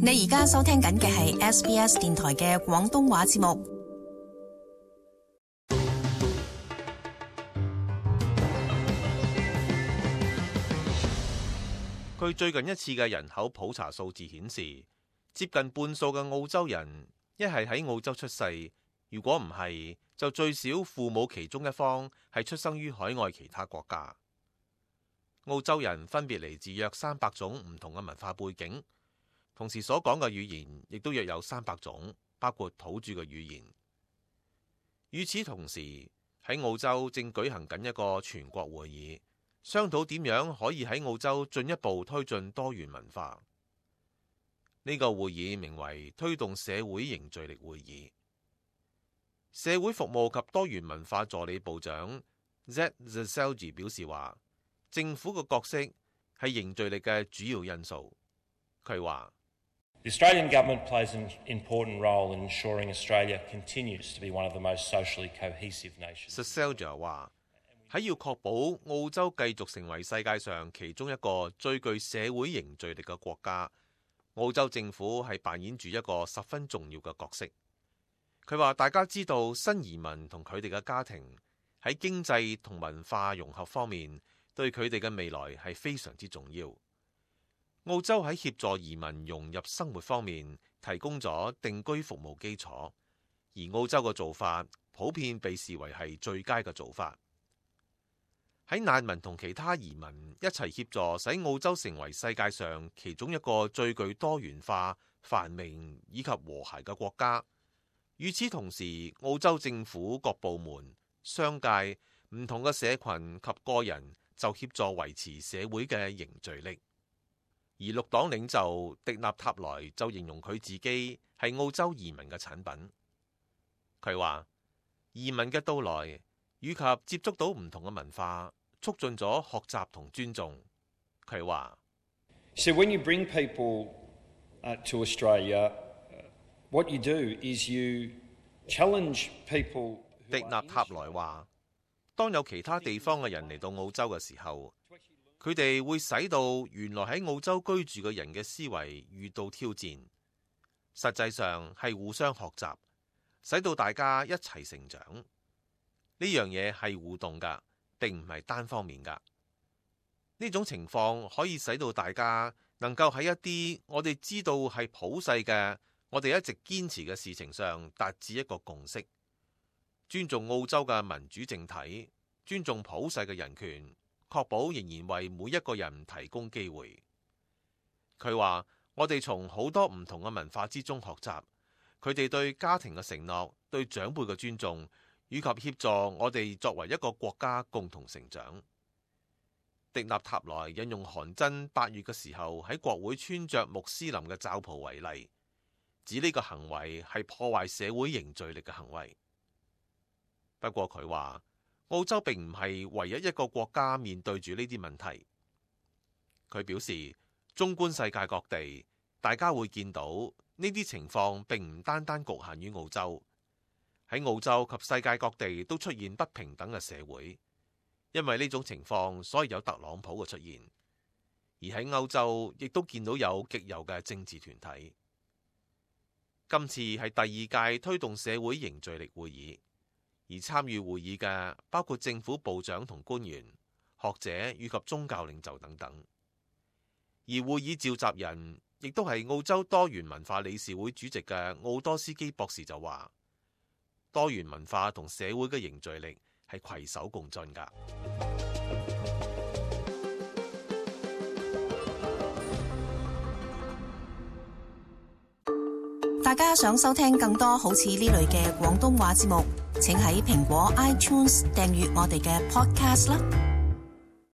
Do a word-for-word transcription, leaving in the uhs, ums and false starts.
你而家收聽緊嘅係 S B S 電台嘅廣東話節目。據最近一次嘅人口普查數字顯示，接近半數嘅澳洲人一係喺澳洲出世，如果唔係，就最少父母其中一方係出生於海外其他國家。澳洲人分別嚟自約三百種唔同嘅文化背景，同時所講嘅語言亦都約有三百種，包括土著嘅語言。與此同時，喺澳洲正舉行緊一個全國會議，商討點樣可以喺澳洲進一步推進多元文化。呢個會議名為推動社會凝聚力會議。社會服務及多元文化助理部長 Zed Zelji 表示話，政府嘅角色係凝聚力嘅主要因素。佢話The Australian government plays an important role in ensuring Australia continues to be one of the most socially cohesive nations. Zelji 話喺要確保澳洲繼續成為世界上其中一個最具社會凝聚力嘅國家，澳洲政府係扮演住一個十分重要嘅角色。佢話大家知道新移民同佢哋嘅家庭喺經濟同文化融合方面對佢哋嘅未來係非常之重要。澳洲喺協助移民融入生活方面提供咗定居服務基礎，而澳洲嘅做法普遍被視為係最佳嘅做法。喺難民同其他移民一齊協助，使澳洲成為世界上其中一個最具多元化、繁榮以及和諧嘅國家。與此同時，澳洲政府各部門、商界、唔同嘅社群及個人就協助維持社會嘅凝聚力。而綠黨領袖迪納塔萊就形容佢自己係澳洲移民嘅產品。佢話移民嘅到來以及接觸到唔同嘅文化，促進咗學習同尊重。佢話So when you bring people to Australia, what you do is you challenge people. 迪納塔萊話，當有其他地方嘅人嚟到澳洲嘅時候，佢哋會使到原來喺澳洲居住嘅人嘅思維遇到挑戰。實際上係互相學習，使到大家一齊成長。呢樣嘢係互動㗎，並唔係單方面㗎。呢種情況可以使到大家能夠喺一啲我哋知道係普世嘅，我哋一直堅持嘅事情上達至一個共識，尊重澳洲嘅民主政體，尊重普世嘅人權，確保仍然為每一個人提供機會。佢話我哋從好多唔同嘅文化之中學習，佢哋對家庭嘅承諾，對長輩嘅尊重，以及協助我哋作為一個國家共同成長。迪納塔萊引用韓真八月嘅時候喺國會穿着穆斯林嘅罩袍為例，指呢個行為係破壞社會凝聚力嘅行為。不過佢話澳洲並唔係唯一一個國家面對住呢啲問題。佢表示，縱觀世界各地，大家會見到呢啲情況並唔單單局限於澳洲。喺澳洲及世界各地都出現不平等嘅社會，因為呢種情況，所以有特朗普嘅出現。而喺歐洲亦都見到有極右嘅政治團體。今次係第二屆推動社會凝聚力會議，而參與會議嘅包括政府部長同官員、學者以及宗教領袖等等。而會議召集人亦都係澳洲多元文化理事會主席嘅奧多斯基博士就話，多元文化同社會嘅凝聚力係攜手共進㗎。大家想收聽更多好似呢類嘅廣東話節目，請喺蘋果 iTunes 訂閱我哋嘅 podcast 啦。